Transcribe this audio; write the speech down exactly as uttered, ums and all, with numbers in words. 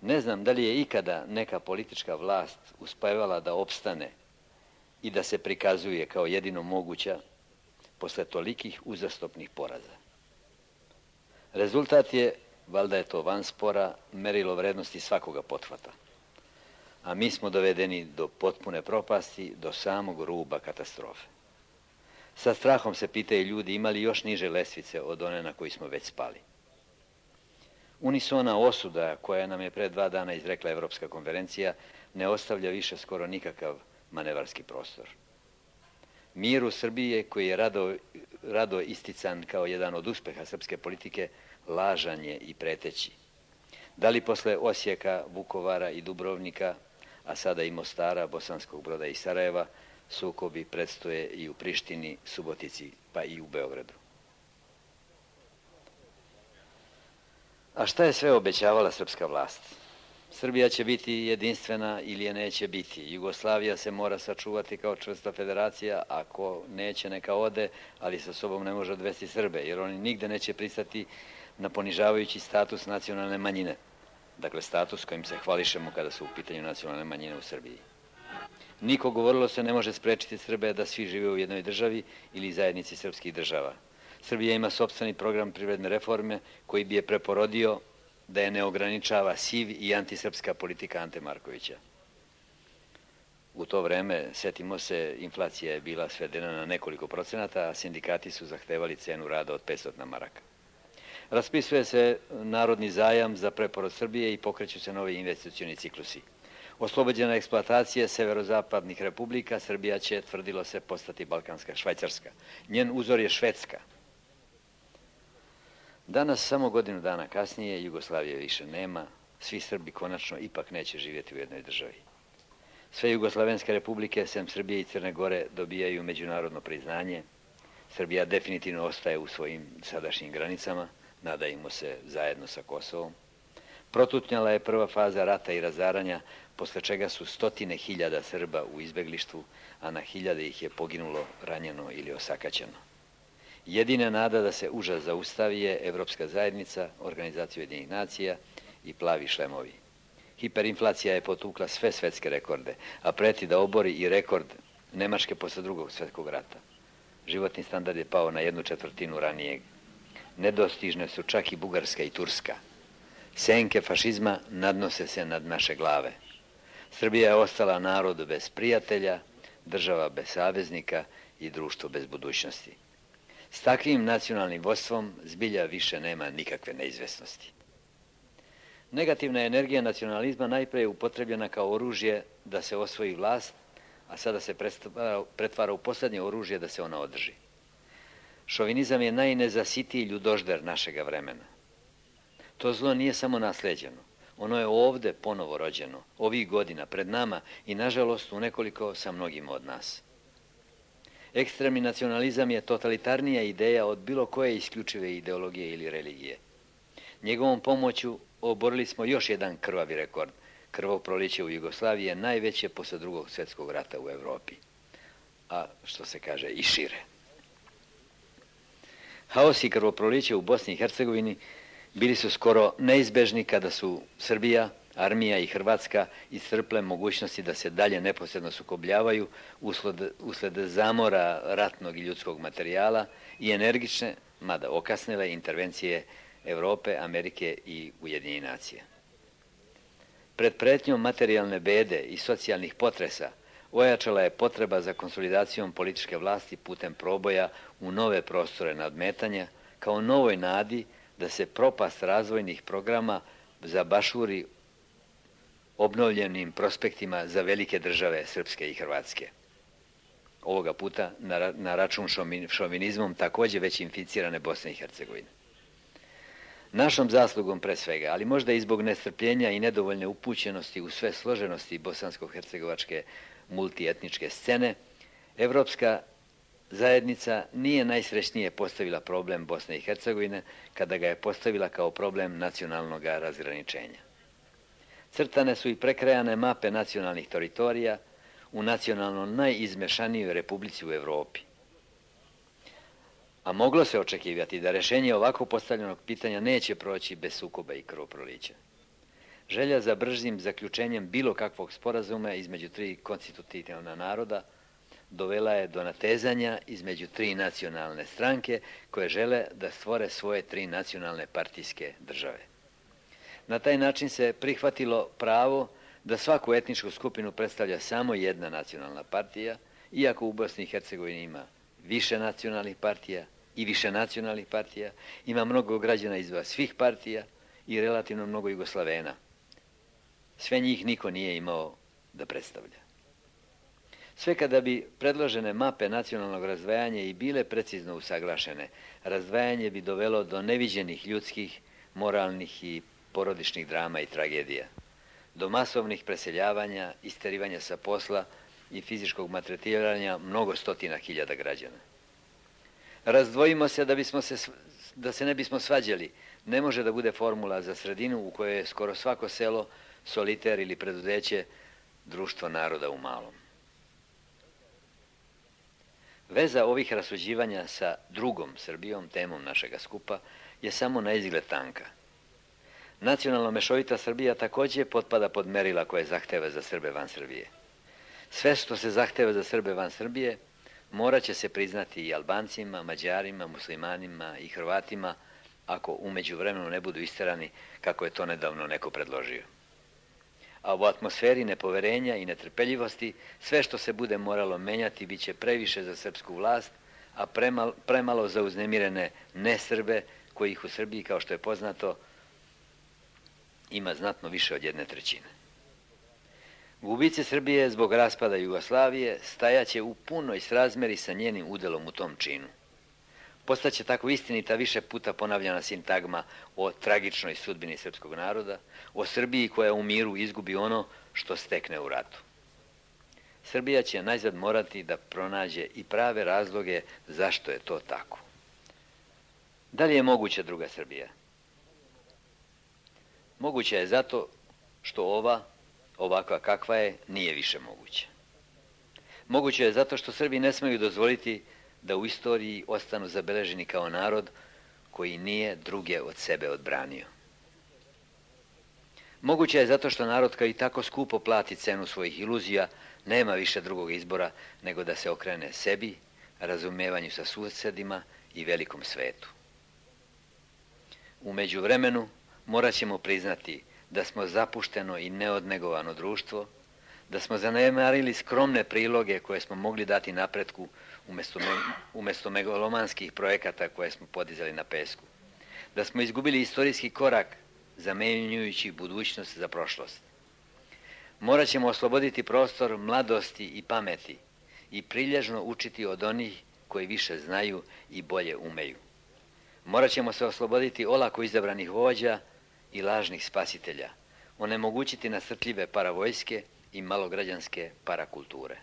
Ne znam da li je ikada neka politička vlast uspevala da opstane i da se prikazuje kao jedino moguća posle tolikih uzastopnih poraza. Rezultat je, valjda je to van spora, merilo vrednosti svakoga pothvata. A mi smo dovedeni do potpune propasti, do samog ruba katastrofe. Sa strahom se pitaju ljudi imali još niže lestvice od one na koji smo već spali. Unisona osuda koja nam je pre dva dana izrekla Evropska konferencija ne ostavlja više skoro nikakav manevarski prostor. Mir u Srbiji koji je rado, rado istican kao jedan od uspeha srpske politike, lažan je i preteći. Da li posle Osijeka, Vukovara i Dubrovnika, a sada i Mostara, Bosanskog Broda i Sarajeva, sukobi predstoje i u Prištini, Subotici, pa i u Beogradu. A šta je sve obećavala srpska vlast? Srbija će biti jedinstvena ili je neće biti. Jugoslavija se mora sačuvati kao čvrsta federacija, ako neće neka ode, ali sa sobom ne može odvesti Srbe, jer oni nigde neće pristati na ponižavajući status nacionalne manjine. Dakle, status kojim se hvališemo kada su u pitanju nacionalne manjine u Srbiji. Niko, govorilo se, ne može sprečiti Srbe da svi žive u jednoj državi ili zajednici srpskih država. Srbija ima sopstveni program privredne reforme koji bi je preporodio da je ne ograničava siv i antisrpska politika Ante Markovića. U to vreme, setimo se, inflacija je bila svedena na nekoliko procenata, a sindikati su zahtevali cenu rada od petsto maraka. Raspisuje se narodni zajam za preporod Srbije i pokreću se novi investicioni ciklusi. Oslobođena eksploatacije severozapadnih republika, Srbija će, tvrdilo se, postati balkanska Švajcarska. Njen uzor je Švedska. Danas, samo godinu dana kasnije, Jugoslavije više nema, svi Srbi konačno ipak neće živjeti u jednoj državi. Sve jugoslavenske republike, sem Srbije i Crne Gore, dobijaju međunarodno priznanje. Srbija definitivno ostaje u svojim sadašnjim granicama, nadajmo se zajedno sa Kosovom. Protutnjala je prva faza rata i razaranja, posle čega su stotine hiljada Srba u izbeglištvu, a na hiljade ih je poginulo, ranjeno ili osakaćeno. Jedina nada da se užas zaustavi je Evropska zajednica, Organizacija Ujedinjenih nacija i plavi šlemovi. Hiperinflacija je potukla sve svetske rekorde, a preti da obori i rekord Nemačke posle drugog svjetskog rata. Životni standard je pao na jednu četvrtinu ranijeg. Nedostižne su čak i Bugarska i Turska. Senke fašizma nadnose se nad naše glave. Srbija je ostala narod bez prijatelja, država bez saveznika i društvo bez budućnosti. S takvim nacionalnim vodstvom zbilja više nema nikakve neizvesnosti. Negativna energija nacionalizma najpre je upotrebljena kao oružje da se osvoji vlast, a sada se pretvara u posljednje oružje da se ona održi. Šovinizam je najnezasitiji ljudožder našega vremena. To zlo nije samo nasleđeno. Ono je ovde ponovo rođeno, ovih godina, pred nama i, nažalost, u nekoliko sa mnogima od nas. Ekstremni nacionalizam je totalitarnija ideja od bilo koje isključive ideologije ili religije. Njegovom pomoću oborili smo još jedan krvavi rekord. Krvoproliće u Jugoslaviji je najveće posle drugog svjetskog rata u Evropi, a što se kaže i šire. Haos i krvoproliće u Bosni i Hercegovini bili su skoro neizbežni kada su Srbija, armija i Hrvatska iscrple mogućnosti da se dalje neposredno sukobljavaju usled, usled zamora ratnog i ljudskog materijala i energične, mada okasnile, intervencije Evrope, Amerike i Ujedinjenih nacija. Pred pretnjom materijalne bede i socijalnih potresa ojačala je potreba za konsolidacijom političke vlasti putem proboja u nove prostore nadmetanja, kao novoj nadi da se propast razvojnih programa zabašuri obnovljenim prospektima za velike države Srpske i Hrvatske. Ovoga puta na, na račun šovinizmom također već inficirane Bosne i Hercegovine. Našom zaslugom pre svega, ali možda i zbog nestrpljenja i nedovoljne upućenosti u sve složenosti bosansko-hercegovačke multietničke scene, Evropska zajednica nije najsrećnije postavila problem Bosne i Hercegovine kada ga je postavila kao problem nacionalnog razgraničenja. Crtane su i prekrajane mape nacionalnih teritorija u nacionalno najizmešanijoj republici u Evropi. A moglo se očekivati da rešenje ovako postavljenog pitanja neće proći bez sukoba i krvoprolića. Želja za bržim zaključenjem bilo kakvog sporazuma između tri konstitutivna naroda dovela je do natezanja između tri nacionalne stranke koje žele da stvore svoje tri nacionalne partijske države. Na taj način se prihvatilo pravo da svaku etničku skupinu predstavlja samo jedna nacionalna partija, iako u Bosni i Hercegovini ima više nacionalnih partija i više nacionalnih partija, ima mnogo građana iz svih partija i relativno mnogo Jugoslavena. Sve njih niko nije imao da predstavlja. Sve kada bi predložene mape nacionalnog razdvajanja i bile precizno usaglašene, razdvajanje bi dovelo do neviđenih ljudskih, moralnih i porodičnih drama i tragedija, do masovnih preseljavanja, isterivanja sa posla i fizičkog maltretiranja mnogo stotina hiljada građana. Razdvojimo se da, bismo se da se ne bismo svađali, ne može da bude formula za sredinu u kojoj je skoro svako selo, soliter ili preduzeće, društvo naroda u malom. Veza ovih rasuđivanja sa drugom Srbijom, temom našega skupa, je samo na izgled tanka. Nacionalno mešovita Srbija također potpada pod merila koje zahteva za Srbe van Srbije. Sve što se zahteva za Srbe van Srbije morat će se priznati i Albancima, Mađarima, muslimanima i Hrvatima ako u međuvremenu ne budu isterani kako je to nedavno neko predložio. A u atmosferi nepoverenja i netrpeljivosti sve što se bude moralo menjati bit će previše za srpsku vlast, a premalo, premalo za uznemirene nesrbe kojih u Srbiji, kao što je poznato, ima znatno više od jedne trećine. Gubice Srbije zbog raspada Jugoslavije stajaće u punoj srazmeri sa njenim udelom u tom činu. Postaće tako istinita više puta ponavljana sintagma o tragičnoj sudbini srpskog naroda, o Srbiji koja u miru izgubi ono što stekne u ratu. Srbija će najzad morati da pronađe i prave razloge zašto je to tako. Da li je moguća druga Srbija? Moguća je zato što ova, ovakva kakva je, nije više moguća. Moguće je zato što Srbi ne smeju dozvoliti da u istoriji ostanu zabeleženi kao narod koji nije druge od sebe odbranio. Moguće je zato što narod koji tako skupo plati cenu svojih iluzija nema više drugog izbora nego da se okrene sebi, razumevanju sa susedima i velikom svetu. U međuvremenu morat ćemo priznati da smo zapušteno i neodnegovano društvo, da smo zanemarili skromne priloge koje smo mogli dati napretku umjesto, me, umjesto megalomanskih projekata koje smo podizali na pesku, da smo izgubili istorijski korak zamenjujući budućnost za prošlost. Morat ćemo osloboditi prostor mladosti i pameti i prilježno učiti od onih koji više znaju i bolje umeju. Morat ćemo se osloboditi olako izabranih vođa i lažnih spasitelja, onemogućiti nasrtljive paravojske i malograđanske parakulture.